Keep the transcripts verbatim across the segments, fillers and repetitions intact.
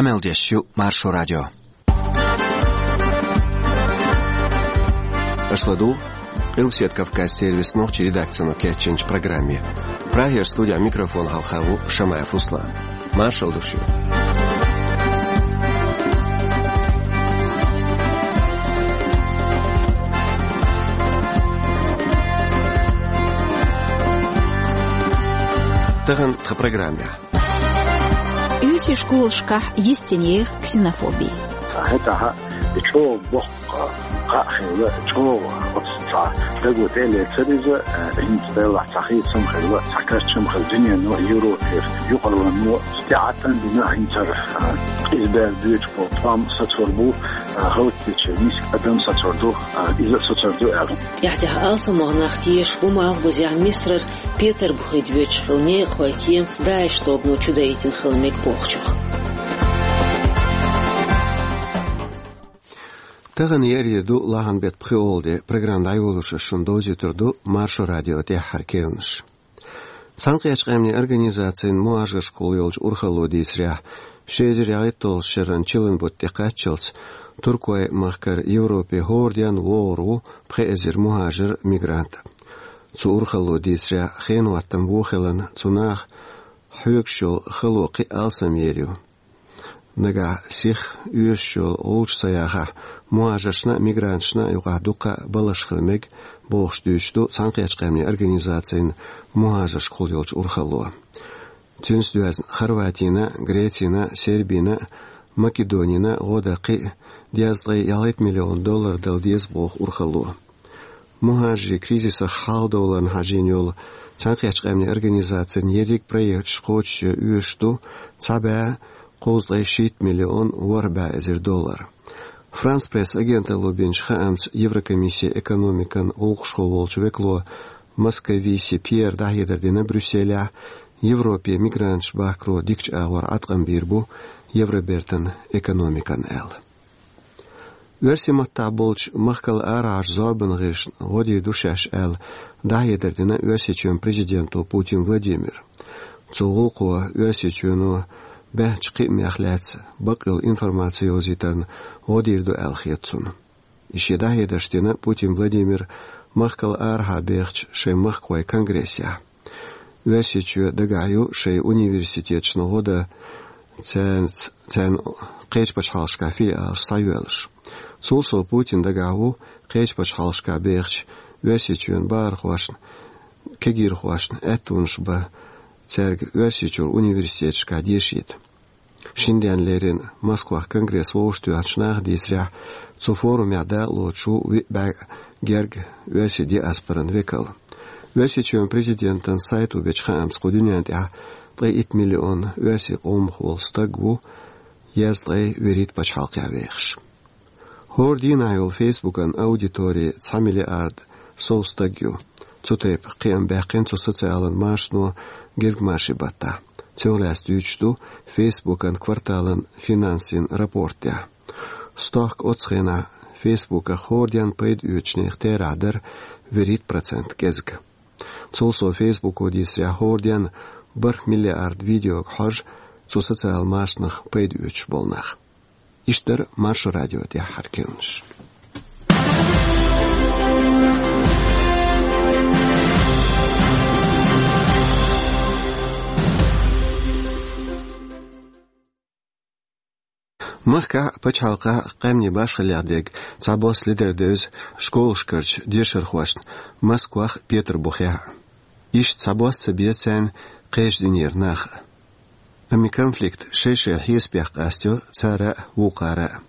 Къамел деш ю Маршо радио. Аша ладугӀу Къилбаседа Кавказ сервисан нохчийн редакцино кечйинчу программе. Прагера студехь микрофон хьалха ву Шамаев Руслан. Маршалла ду шуьга. Тахана тхан программехь. Оьрсийн школашкахь йистинехь ксенофоби. ХӀетахь и чӀогӀа боккха кхаъ хилла, чӀогӀа оцу цхьа даго тӀе а лецира иза, э, хӀинца делахь цхьа хийцам хилла, цхьа кечам хилла дуьнено, Европера, юкъаралло стегӀатан дина хӀинца, э, иза бер дуьйцуш болу тӀом сацор бу, э, гӀалат дечу миска адам сацор ду, э, иза а сацор ду аьлла. ТӀаьхьа-тӀаьхьа алсамох нах тешаш бу Малхбузехь Мисарара Петарбухе доьдуш хилла некъахойн тема ДАИШ тобано чудаийтина хила мега бохучух. Тахана еарин де ду, лахьан беттан пхоьалгӀа де. Программа дӀайолош ас шуна довзуьйтур ду Маршо радион тӀаьххьара керланаш. Цхьаьнакхеттачу Къаьмнийн Организацин мухӀажаршкахула йолчу урхалло дийцарехь, ши эзар ялхитталгӀачу шеран чиллан бутт тӀекхаччалц Туркойн махкара Европе хӀора денна вогӀур ву пхи эзар мухӀажар, мигрант. Цу урхалло дийцарехь, хенахӀоттам вон хиларна, цу наха хьоьгуш йолу хало кхин а алсамъер ю. Нагахь сиха оьшуш йолу гӀулч ца яхахь, мухӀажаршна а, мигранташна а юкъахь дуккха а баларш хила мега, бохуш дуьйцуш ду Цхьаьнакхеттачу Къаьмнийн Организацин мухӀажаршкахула йолчу урхалло. Цуьнца доьзна Хорватина, Грецина, Сербина, Македонина гӀо дан кхин а дезткъе ялхитта миллион доллар дала деза боху урхалло. МухӀажарийн кризисах хьалхадовларна хьажийна йолу Цхьаьнакхеттачу Къаьмнийн Организацин ерриг проекташ кхочушъян оьшуш ду цхьа бӀе кхузткъе шийтта миллион ворхӀ бӀе эзар доллар. Франс Пресс агенталло бинчу хаамца, Еврокомиссин экономикан гӀуллакхашкахула волчу векало Московиси Пьера дӀахьедар дина Брюсселехь, Европе мигранташ бахкаро дикачу агӀор Ӏаткъам бийр бу Евробертан экономикана аьлла. Оьрсийн маттахь болчу махкал арахьарчу зорбанан гӀирсашна гӀо дийр ду шаьш аьлла, дӀахьедар дина Оьрсийчоьнан президенто Путин Владимира. Цу гӀуллакхо Оьрсийчоьно баьхначу кхиамех лаьцна бакъйолу информаци йовзийтарна гӀо дийр ду аьлла хета цунна. И шен дӀахьедарш дина Путин Владимира махкал арахьа бехачу шайн махкахойн конгрессехь. Оьрсийчоь дагахь ю шайн университеташна гӀо дан цаьрца, царна кхечу пачхьалкхашкахь филиалаш схьайоьллуш. Цул сов Путин дагахь ву кхечу пачхьалкхашкахь бехачу Оьрсийчоьнан бахархошна, кегийрхошна аьттонаш бан цаьрга Оьрсийчуьра университеташкахь дешийта. Шина денна леррина Москвахь конгресс вовшахтоьхначу наха дийцарехь, цу форумехь дакъалоцуш ву виъ бӀе герга оьрсийн диаспоран векал. Оьрсийчоьнан президентан сайто бечу хаамца, кху дуьнен тӀехь ткъе итт миллион оьрсийн къомах волу стаг ву, дезткъе вуьрхӀитта пачхьалкхехь вехаш. ХӀора дийнахь йолу Фейсбукан аудитори цхьа миллиард сов стаг ю. Цу тайпа кхиам баьккхина цу социалан машано гезгмашин баттахь. Цунах лаьцна дуьйцуш ду Фейсбукан кварталан финансийн рапортехь. Стохка оцу хенахь Фейсбуках хӀора денна пайда оьцучу нехан терахь дара вуьрхӀитта процент кӀезиг. Цул сов Фейсбуко дийцарехь, хӀора денна бархӀ миллиард видеога хьожу цу социалан машанах пайда оьцуш болу нах. Иштта дара Маршо радион тӀаьххьара керланаш. Махкахь а, пачхьалкхехь а къаьмнийн башхаллех дерг цхьабосса ледара девза школашкарчу дешархошна Москвахь а, Петарбухехь а. Иштта цхьабосса ца беза царна кхечу динера нах а. Амма и конфликт шай-шайн хьесапех къастайо цара а, вукхара а.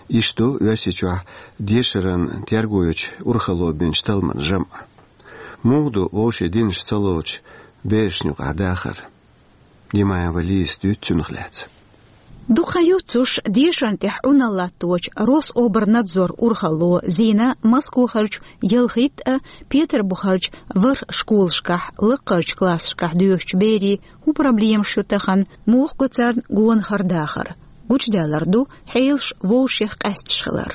Иштта ду Оьрсийчохь дешаран терго йечу урхалло бинчу талламан жамӀ. Муха ду вовшийн динаш ца лоцучу берашна юкъахь дахар? Димаева Лизас дуьйцу цунах лаьцна. Дукха хан юьйцуш, дешарна тӀехь Ӏуналла латточу Рособрнадзор урхалло зийна Москвахарчу ялхитта а, Петарбухарчу ворхӀ школашкахь лакхарчу классашкахь доьшучу берийн хӀун проблемаш ю тахана, муха го царна гонахара дахар. Гучудаьллар ду хьелаш вовшех къаьсташ хилар.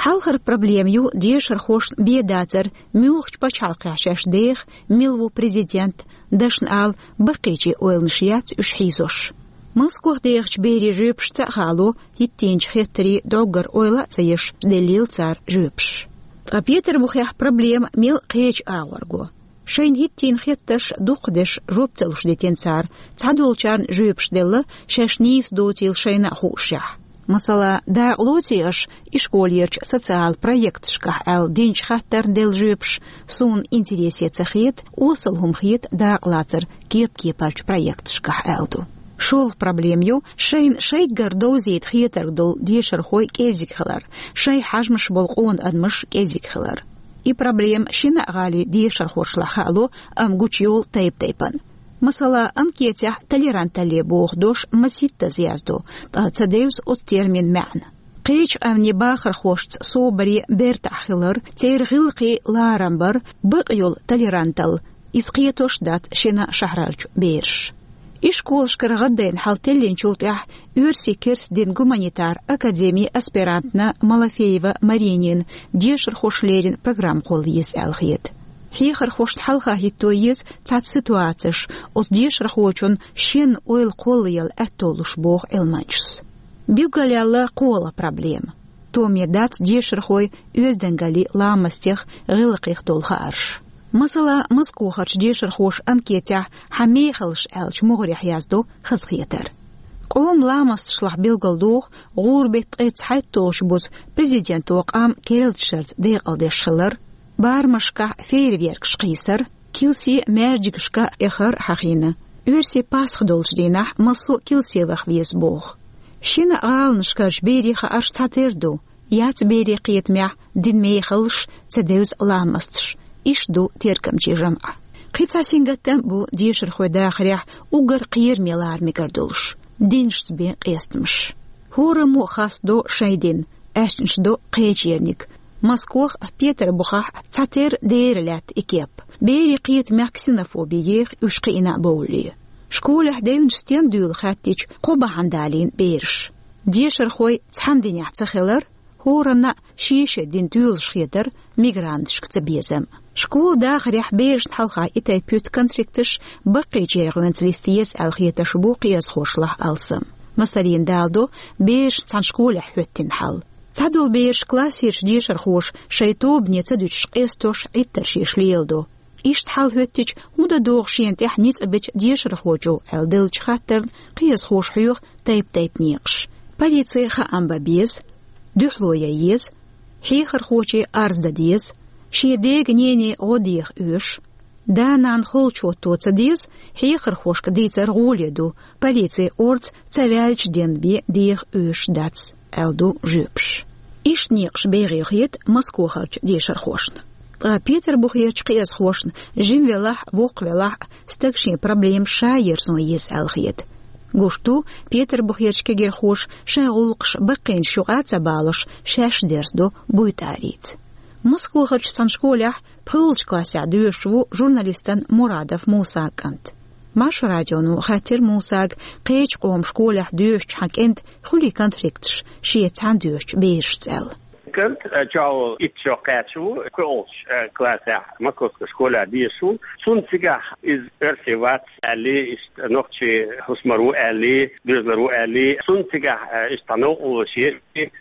Хьалхара проблема ю дешархошна бен дацар, муьлхачу пачхьалкхехь шаьш деха, мила ву президент, дашна ала, баккхийчийн ойланаш яц уьш хьийзош. Москох дехачу берийн жоьпашца а хаало, хӀиттийначу хеттарийн дӀоггара ойла а ца еш, деллийла цара жоьпаш. Ткъа Петарбухехь проблема мел кхечу агӀор го. Шайна хӀиттийна хеттарш дукхадеш жоп ца луш дитина цара, цхьадолчарна жоьпаш делла, шаьш нийса доцийла шайна а хуушшехь. Масала, дакъа лоций аша и школерчу социал проекташкахь аьлла динчу хаттарна делла жоьпаш, суна интересе ца хета, осал хӀума хета дакъалацар кеп-кепарчу проекташкахь аьлла ду. ШолгӀа проблема ю шайна шайггара довзийта хетарг долу дешархой кӀезиг хилар, шайн хьажамаш болу къона адамаш кӀезиг хилар. И проблема шина а гӀалин дешархошлахь хаало, амма гучуйолу тайп-тайпана. Масала, анкетехь толеранталле боху дош масийттаза яздо, ткъа ца девза оцу термин маьӀна. Кхечу къаьмнийн бахархошца собаре бертахь хилар, церан гӀиллакхе ларам бар, бакъ йолу толерантал, иза кхетош дац шина шахьарарчу бераш. Ишколашкара гӀаддайна хьал теллинчул тӀаьхьа оьрсийн керста дин гуманитар академин аспирантна Малафеева Маринина дешархош леррина программа кхолла еза аьлла хета. Хьехархошна хьалха хӀитто еза цхьацца ситуацеш, оцу дешархочун шен ойла кхоллаяла аьтто луш, боху Ӏилманчас. Билгалъяьлла кхоалгӀа проблема. Томе дац дешархойн оьздангаллин ламастех, гӀиллакхех долу хаарш. Масала, Москохарчу дешархоша анкетехь «Хьан мехаллаш» аьллачу могӀарехь яздо хазахетар. Къоман ламасташлахь билгалдоху гӀуран беттан ткъе цхьайтталгӀачу буза президенто къам керлачу шарца декъалдеш хилар, барамашкахь фейерверкаш кхийсар, килсе маьждигашка эхар хьахийна. Оьрсийн Пасха долчу дийнахь массо а килсе ваха веза боху. Шина а гӀаланашкарчу берийн хаарш цхьатера ду: яц берийн кхетамехь динан мехаллаш, ца девза ламасташ. Иштта ду тергамчийн жамӀаш. Кхин цхьа сингаттам а бу дешархойн дахарехь уггар кхераме лара мегар долуш, динашца бен къестамаш. ХӀораммо а хастадо шайн дин, аьшнаш до кхечерниг. Москох а, Петарбухехь а цхьатера дера лаьтта и кеп. Берийн кхетамехь ксенофоби еха уьш кхиъна а бовлий. Школехь девнаш стен дуьйла хаьттича, кхо бахьана далийна бераш. Дешархой цхьана динехь ца хилар, хӀоранна а шен-шен дин тоьлуш хетар, мигранташка цабезам. Школан дахарехь берашна хьалха и тайпа юьту конфликташ баккхийчеран гӀоьнца листа еза аьлла хеташ бу кхиазхошлахь алсам. Масаллина, даладо берашна цхьана школехь хӀоьттина хьал. Цхьадолу бераш классерчу дешархоша шайн тобане ца дуьтуш къестош, Ӏиттарш еш леладо. Иштта хьал хӀоьттича, хӀун дан догӀу шена тӀехь ницкъ бечу дешархочо аьлла деллачу хаттарна кхиазхоша хьоьху тайп-тайпа некъаш. Полице хаам бан беза, дуьхьало ян еза, хьехархоче арз дан деза, шен дега-нене гӀо деха оьшу. Да-нана холчу хӀотто ца деза, хьехархошка дийцар гӀоле ду, полице орца ца ваьллачу денна бен деха оьшуш дац, аьлла ду жоьпаш. Иштта некъаш бегӀийла хета Москохарчу дешархошна. Ткъа Петарбухерчу кхиазхошна жима велахь а, воккха велахь а, стага шен проблемаш ша ерзо еза аьлла хета. Гуш ду, Петарбухерчу кегирхоша шайн гӀуллакхаш баккхийнаш юкъа ца балош, шаьш дерзадо буйтӀарица. Москохарчу цхьана школехь пхоьалгӀачу классехь доьшуш ву журналистан Мурадов Мусан кӀант. Маршо радионо хаьттира Мусага, кхечу къоман школехь доьшучу хьан кӀентан хуьлий конфликташ шеца цхьаьна доьшучу берашца аьлла. КӀант, э, чӀогӀа итт шо кхаьчна ву, кхоьалгӀачу, э, классехь Московскан школехь дешаш ву. Цунна цигахь иза оьрси вац аьлла, иштта нохчийн хӀусамара ву аьлла, доьзалара ву аьлла. Цунна цигахь, э, иштта цхьа новкъарло еш,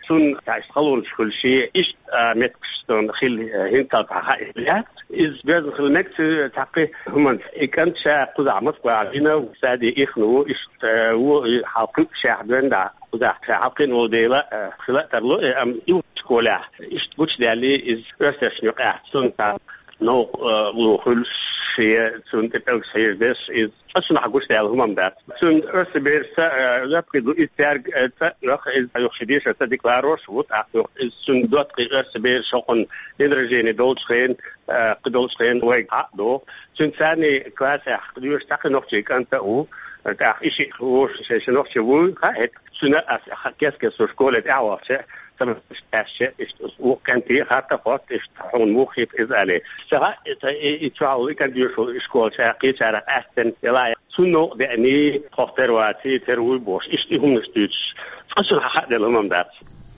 цунна цхьа иштта халонаш хуьлуш, иштта, э, меттигаш цунна хилла, э, хӀинццалц цхьа хаийта лаьцна. Иза доьзна хила мега цуьнан цхьаккха хӀуманца. И кӀант ша кхузахь Москвахь вина, саде ихна ву, иштта, э, ву, и хьалкхуьу шехь доьнна дӀа. Кхузахь ша хьалкхиъна волу дела, э, хила а тарло, э, амма и школехь иштта гучудаьлла иза оьрсашна юкъахь, цунна цхьа новкъа, э, ло хуьлуш, шен цунна тӀе пӀелгаш хьежадеш, иза цкъачунна хьан гучудаьлла хӀума-м дац. Цуьнан оьрсийн берашца, э, жоп хир ду, иза цаьрга, э, цӀа а йоху, иза юха шен дешарца деклараци а ву, тӀаккха юха иза цуьнан доттагӀий оьрсийн бераш хӀокхунна день рождения долчу хенахь, э, кхин долчу хенахь вайга хьа а доху. Цуьнан царний классехь доьшуш цхьа кхин нохчийн кӀант а ву, тӀаккха и шиъ вовшашца шен нохчи вуй, хаьа хӀетахь. Цуьнан ас ха-, кес-кес со школе тӀаьхьавахча, сан аьшча, иштта вукху кӀанте хатта а хотту, иштта хьуна муха хета иза аьлла. Сан хаьа, и, и, и чохь и кӀант доьшуш волу школа ша кхечарах къаьстина яла, цунна новкъа деаний, тхох тера ваций, тера вуй бохуш, иштта и хӀуманаш дуьйцуш, цкъачунна хьан хааделла хӀума-м дац.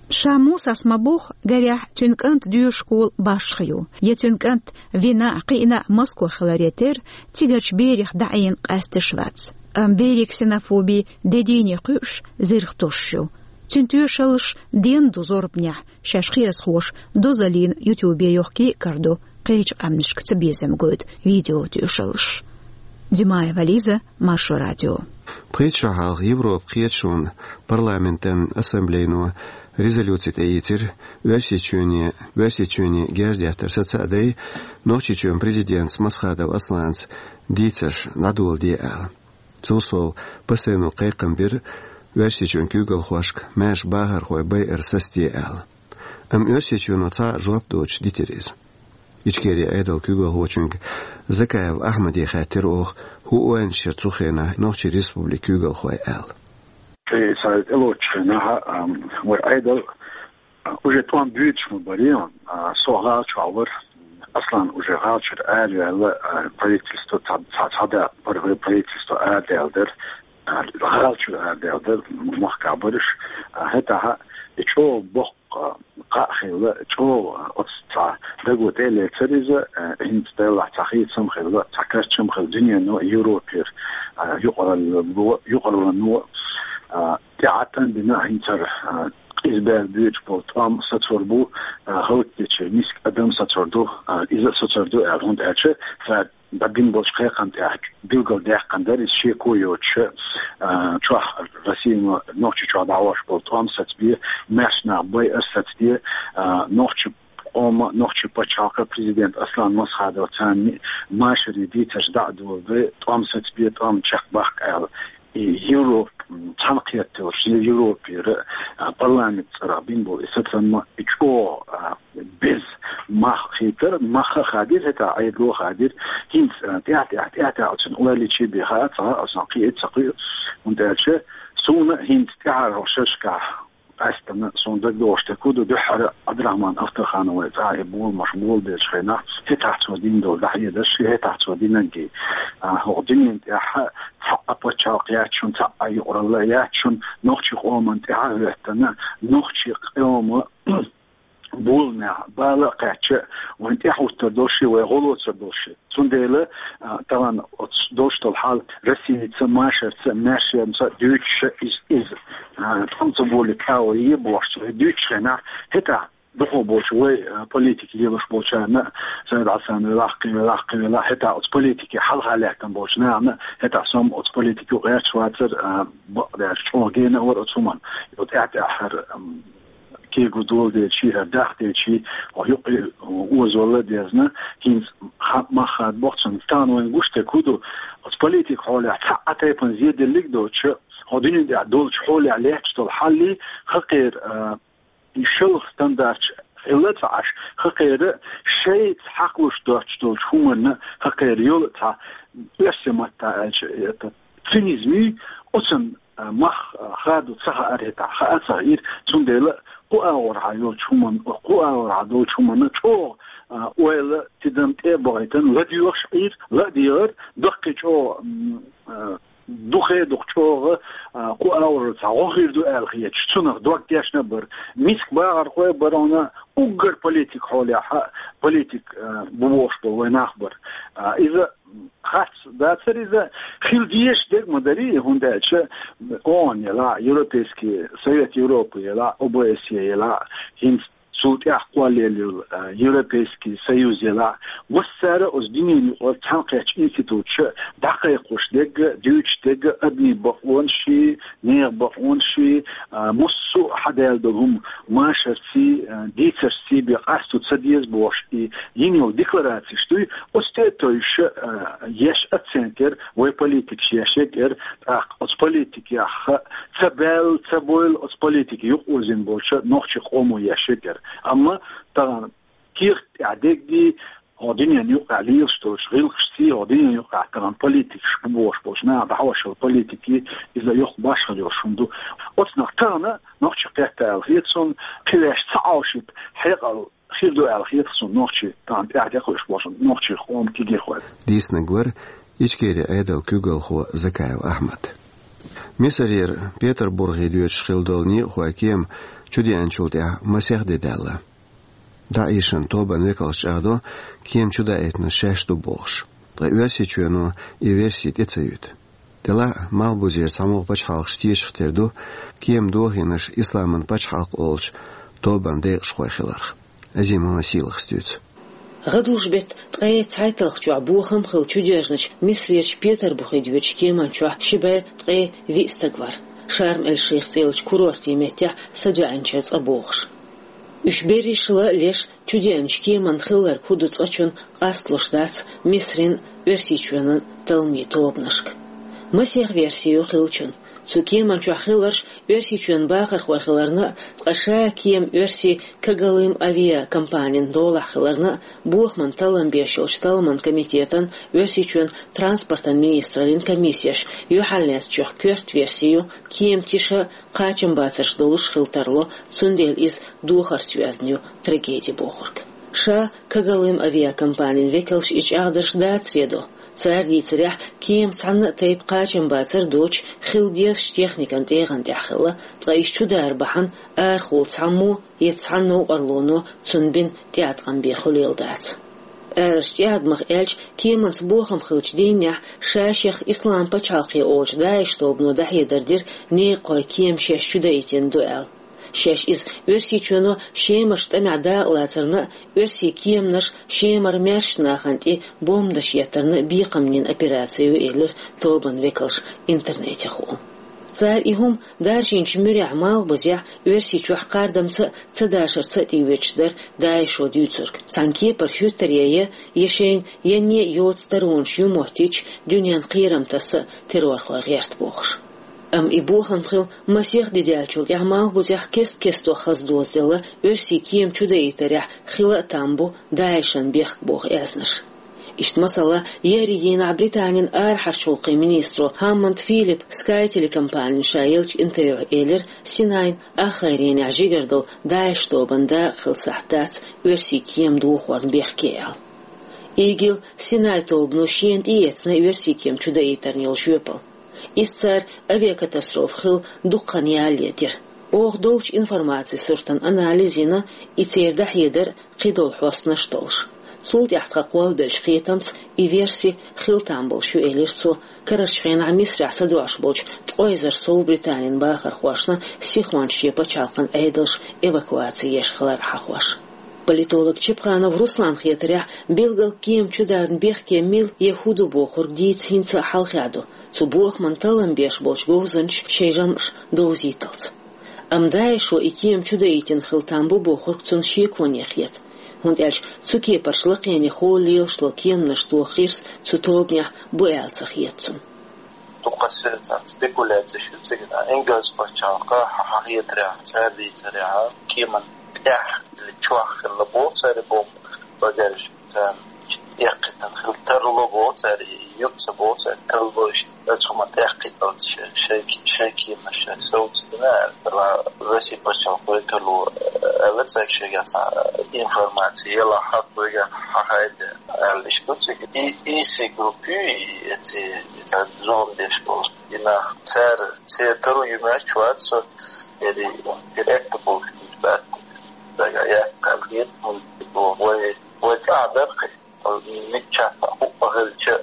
Ша Мусас ма-бохху, гарехь, цуьнан кӀант доьшуш школа башха ю, я цуьнан кӀант вина а, кхиъна а Москва хиларе терра, цигарчу берех дӀаийна къаьсташ вац. Амма берийн ксенофоби де дийне кхуьуш, зирх тосуш ю. Цуьнан тоьшаллаш денна ду зорбанехь, шаьш хьехархоша дозаллина ютубе йохкий а карадо, кхечу къаьмнашка цабезам гойту видео тоьшаллаш. Димаева Лиза, Маршо радио. Пхийтта шо хьалха Европа кхеташонан парламентан ассамблейно резолюци тӀеийцира, Оьрсийчоьне, Оьрсийчоьне герз деттар саца а дай, Нохчийчоьнан президентца Масхадов Асланца дийцарш дӀадоладе аьлла. Цул сов, ПСН-о кхайкхам бира Оьрсийчоьнан куьйгалхошка маьрша бахархой байар сацаде аьлла. Амма Оьрсийчоьно цхьа а жоп доцуш дитира иза. Ичкерин Ӏедалан куьйгалхочуьнга Закаев Ахьмаде хаьттира оха, хӀун ойланаш яра цу хенахь Нохчийн Республикан куьйгалхойн аьлла. Кхин цара тӀелоцучу хенахь, ам, вай Ӏедал, а, уже тӀом буьйцуш ма бара, а, со гӀала чохь вара, Аслан уже гӀала чуьра араваьлла, а, правительство цхьа, цхьа, цхьа да, паргӀе правительство арадаьлла дара, а, гӀала чуьра арадаьлла дара, махкахь бараш, а, хӀетахь и чӀогӀа боккха кхаъ хилла, чӀогӀа оцу цхьа даго тӀе а лецира иза, а, хӀинца делахь цхьа хийцам хилла, цхьа кечам хилла дуьнено а, Европера, а, юкъаралло, юкъаралло, а, тӀаьхьа тӀан бина хӀинца хӀара, а, къиза бер буьйцуш болу тӀом сацор бу, а, хӀаллакдечу миска адам сацор ду, а, иза а сацор ду аьлла, хӀунда аьлча цара дӀабина болчу кхайкхам тӀехь билгалдаьккхина дара иза шеко йоцуш, а, чохь Россино Нохчийчохь дӀахьош болу тӀом сацабе, маьрша нах байар сацаде, а, нохчи къоман, нохчи пачхьалкхан президент Аслан Масхадов царна машаре дийцарш дӀа а доладе, тӀом сацабе, тӀом чекхбаккха аьлла. И Европа, м, цхьаьнакхетта йолуш, Европера, а, парламент цӀарах бина болу и сацам и чӀогӀа, а, беза мах хийтара, мах а хадийра, хӀетахь Ӏедало а хадийра. ХӀинца, а, тӀаьхь-тӀаьхьа, тӀаьхь-тӀаьхьа оцунна ойла йича бен хаа ца хаьа, оцунах кхин а ца кхуьу, хӀунда аьлча суна хӀинца тӀаьхьара шерашкахь къаьстина, суна дагадогӀуш дерг хӀун ду, дуьххьара Ӏабдурахьман Ахтархановн цӀахь и боламаш болабеллачу хенахь, хӀетахь цо дина долу дӀахьедарш, хӀетахь цо динарг, а, хӀокху дуьнен тӀехь цхьа а пачхьалкх яц шуна, цхьа а юкъаралла яц шуна, нохчи къоман тӀаьхьа а хӀоьттина, нохчи къоман боламехь бала а кхаьчча, вайн тӀаьхьахӀуттур долуш, вай гӀо лоцур долуш. Цундела, а, тахана оцу долуш долу хьал Россица, машарца, маьршемца дуьйцуш иза, иза, а, тӀом ца болийта агӀо е бохуш, дуьйцучу хенахь, хӀетахь дукха болчу вай, а, политика лелош болчарна, Сайд Хьасан велахь, кхин велахь, кхин велахь, хӀетахь оцу политике хьалха лаьттина болчу нахана, хӀетахь со-м оцу политике гӀерташ вацара, а, бакъдерг чӀогӀа гена а вара оцу хӀуманна. Юха тӀаьхь-тӀаьххьара, ам, кегу доладелчий, хӀара дахделчий, хьо юкъе озалла а дезна, хӀинца ха-, мах хадабо цунна. Тахана вайна гуш дерг хӀун ду, оцу политика хьолехь цхьа а тайпана зеделлиг а доцуш, хьо дуьнен тӀехь долчу хьолехь лаьтташ долу хьаллий, хӀокхеран, а, и шалха стандарташ хилла ца Ӏаш, хӀокхеран шайца хьакхалуш доцуш долчу хӀуманна, хӀокхеран йолу цхьа, оьрсийн маттахь аьлча, это, цинизмий, оцунна, а, мах, а, хадо ца хаьара хӀетахь, хаа ца хаьира, цундела кху агӀорхьа йолчу хӀуманна, кху агӀорхьа долчу хӀуманна чӀогӀа, а, ойла, тидам тӀе а бахийтина, ладоьгӀуш Ӏийра, ладегӀара, даккхий чӀогӀа, м, а, дукхе а дукха чӀогӀа, а, кху агӀор цхьа гӀо хир ду аьлла хеташ, цунах дог тешна а бара. Миска бахархой а бара хьуна, уггар политика хьолехь, политика, а, бу бохуш болу вай нах бара. А, иза харц дацара иза, хила дезаш дерг ма дарий, хӀунда аьлча ООН елахь, Европейский Совет Европы елахь, ОБСЕ елахь, хӀинца цул тӀаьхьа кхоллаелла йолу, а, Европейский Союз елахь, массара а оцу дуьненан юкъара цхьаьнакхеттачу институташа дӀакхайкхош дерг а, дуьйцуш дерг а, адамийн бакъонашший, нехан бакъонашший, а, массо а хьадаьлла долу хӀума машарций, а, дийцаршций бен къасто ца деза бохуш, и йина йолу декларацеш дуй, оцу тӀе а тевжаш, а, еш оценка яра, вай политикаша еш яра, тӀаккха оцу политикех ца баьлла, ца бовла оцу политике юкъаозийна болчу нохчийн къомо еш яра. Амма тахана кехат тӀехь дегги, хӀокху дуьненан юкъахь лелаш долчу гӀиллакхашций, хӀокху дуьненан юкъахь тахана политикаш бу бохуш болчу наха дӀахьош йолу политикий, иза йоккха башхалла йолуш хӀума ду. Оцунах тахана нохчий кхетта аьлла хета суна, кхин ваьш ца Ӏовшийта хьекъал хир ду аьлла хета суна нохчий тахана тӀаьхьа тӀекхуьуш болчу нохчийн къоман кегийрхой. Дийцинарг вара Ичкерин Ӏедалан куьйгалхо Закаев Ахьмад. Мисарера Петарбурге доьдуш хилла долу некъахойн кема чудеанчул тӀаьхьа масех де даьлла. ДАИШан тобанан векалша чӀагӀдо, кема чудаийтинарш шаьш ду бохуш, ткъа Оьрсийчоьно и верси тӀе ца юьту. Делахь а Малхбузера цхьамогӀа пачхьалкхаш тешах тера ду кема дохийнарш исламан пачхьалкх олучу тобанан декъашхой хиларх. Азимова Сийлахас дуьйцу. ГӀадужу-беттан ткъе цхьайтталгӀачохь бохам хилла чудоьжначу Мисрерчу Петарбухе доьдучу кеман чохь ши бӀе ткъе виъ стаг вара. Шарм-эль-Шейх цӀе йолчу курорте меттехь садоьӀначеран цӀа богӀуш. Уьш берриш а леш, чудеанчу кеманна хилларг хӀун ду цкъачунна къасталуш дац Мисрин, Оьрсийчоьнан талламийн тобанашка. Масех верси ю хиллачун. Цу кеман чохь хилларш Оьрсийчоьнан бахархой хиларна а, ткъа ша кема оьрсийн Когалым авиакомпанин долахь хиларна а, бохаман таллам беш йолчу талламан комитетан, Оьрсийчоьнан транспортан министраллин комиссеш юьхьарлаьцначух коьрта верси ю, кема тиша а, кхачамбацарш долуш хила тарло, цундела иза духарца йоьзна ю трагеди бохург. Ша Когалым авиакомпанин векалш и чӀагӀдарш дацаре до. Цара дийцарехь, кема цхьанна а тайпа кхачамбацар доцуш, хила дезачу техникан тӀегӀан тӀехь хилла, ткъа иза чудара бахьана арахула цхьаммо я цхьана новкъарлоно цунна бина тӀеӀаткъам бен хуьлийла дац. Арарчу тӀеӀадамах аьлча, кеманца бохам хиллачу дийнахь ша-шех Ислам пачхьалкхе олучу ДАИШ тобано дӀахьедар дира некъахой кема шаьш чудаийтина ду аьлла. Шаьш иза Оьрсийчоьно Шемарчу тӀамехь дакъалацарна а, оьрсийн кеманаш Шемара маьршачу нахана тӀе бомбанаш еттарна а бекхам бина операци ю, элира тобанан векалша интернетехула. Цара и хӀума даржийначу муьрехь Малхбузехь, Оьрсийчохь кхардамца а, цадашарца а тӀеоьцуш дара ДАИШо дуьйцург. Цхьана кепара хӀуьттаре я, я шайна янне а йоцу таронаш ю моттийча, дуьненна кхерам таса а террорхой гӀерта бохуш. Амма и бохам хилла масех де даьллачул тӀаьхьа Малхбузехь кест-кестта хаза дозаделла оьрсийн кема чудаийтарехь хила а там бу ДАИШан бехк боху аьзнаш. Иштта, масала, еарин дийнахь Британин арахьарчу гӀуллакхийн министро Хаммонд Филиппа Sky телекомпанина ша еллачу интервьюхь элира, Синайн ахгӀайренехь жигара долу ДАИШ тобанан дакъа хилла сахьт дац оьрсийн кема дохорна бехке аьлла. ИГИЛ, Синай тобано шена тӀеэцна оьрсийн кема чудаийтарна йолу жоьпалла. Иза цара авиакатастрофа хилла дукха хан ялале дира. Оха долчу информацин суртан анализ йина, и церан дӀахьедар кхидолу хьостанаш а толлуш. Цул тӀаьхьа тхан кхоллабеллачу кхетамца и верси хила там болуш ю, элира цо, карарчу хенахь Мисрахь садоӀуш болчу ткъе эзар сов Британин бахархошна сихонца шен пачхьалкхан Ӏедалш эвакуаци еш хилар хьахош. Политолог Чепханов Русланна хетарехь, билггал кема чударна бехке мила я хӀун ду бохург дийца хӀинца а хьалхе ду, цу бохаман таллам беш болчу говзанчаша шайн жамӀаш довзийталц. Амма ДАИШо и кема чудаийтина хила там бу бохург цунна шеконе хета, хӀунда аьлча цу кепарчу лакхене хӀолла лелаш долу кеманаш тоха гӀирс цу тобанехь бу аьлла ца хета цунна. Дукха сенца спекуляцеш ю цига. Ингалс пачхьалкха хьахетарехь, цара дийцарехь, кеман тӀехь или чохь хилла боху цара бомба, багаж царна эккхийтина хила тарло боху цара, юкъа ца боху цара, тарло иштта, оцу хӀуманна тӀекхийталц шайн, шайн, шайн кеманаш шайн совцадина аьлла, Росси пачхьалкх векало аьлла цаьрга, шайгахь цхьа информаци елахь, хьакхойгахь хьахайда аьлла иштта ду цига. И, и си группа ю, и, эци, и цхьа зулам деш болу. И нах цара, церан таро ю моьттуш вац со, эри директор болуш дац. Дага яц, кхел хета, вай, вай цӀа дара кхин. Миччахь а хӀуъа хилча,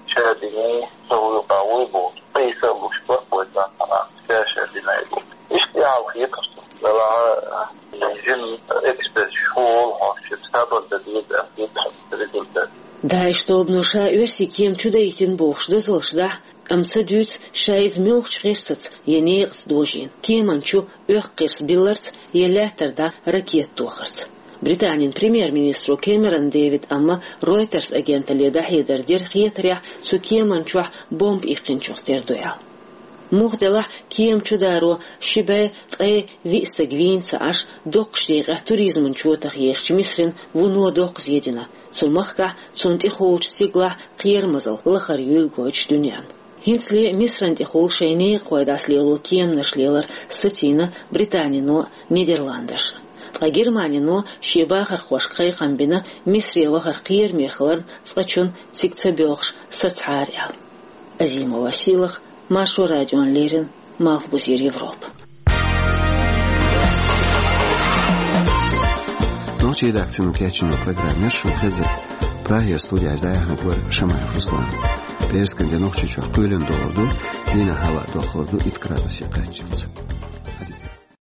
ша дина, со вуй къа вуй бохуш, къийса а луш бара вай цӀа хьалха, ша, ша дина ю. Иштта яхьал хеташ ду. Делахь, жин эксперт шу волу хьош, сабар дан деза, аьлла хеташ результат. ДАИШ тобано ша оьрсийн кема чудаийтина бохуш дозаллаш дахь, амма ца дуьйцу ша иза муьлхачу гӀирсаца я некъаца дожийна, кеман чу оьхку гӀирс билларца я лаьттара дӀа ракета тохарца. Британин премьер-министро Кэмерон Дэвида амма Reuters агенталле дӀахьедар дира хетарехь, цу кеман чохь бомба иккхинчух тера ду аьлла. Муха делахь, кема чударо ши бӀе ткъе виъ стаг вийна ца Ӏаш, доккхачу декъехь туризман чотах ехачу Мисрина вуно доккха зе дина, цу махкахь, цунна тӀехуучу стигалахь кхерамазалла лахара юйла гойтуш дуьненна. ХӀинцале Мисран тӀехула шайн некъахой дӀасалело кеманаш лелар сацийна Британино а, Нидерландаш а. Ткъа Германино шен бахархошка кхайкхам бина Мисре вахар кхераме хиларна, цкъачунна цига ца боьлхуш сацахьара аьлла. Азимова Сийлаха, Маршо радиона леррина, Малхбузера Европа. Нохчийн редакцино кечйина программа яра шуна хезира. Прагера студехь дӀаяьхьнарг вара Шамаев Руслан. ПӀераскан де Нохчийчохь кхоьлина догӀур ду Дийнахьа аваъ дохурду итт градусе кхаччалца.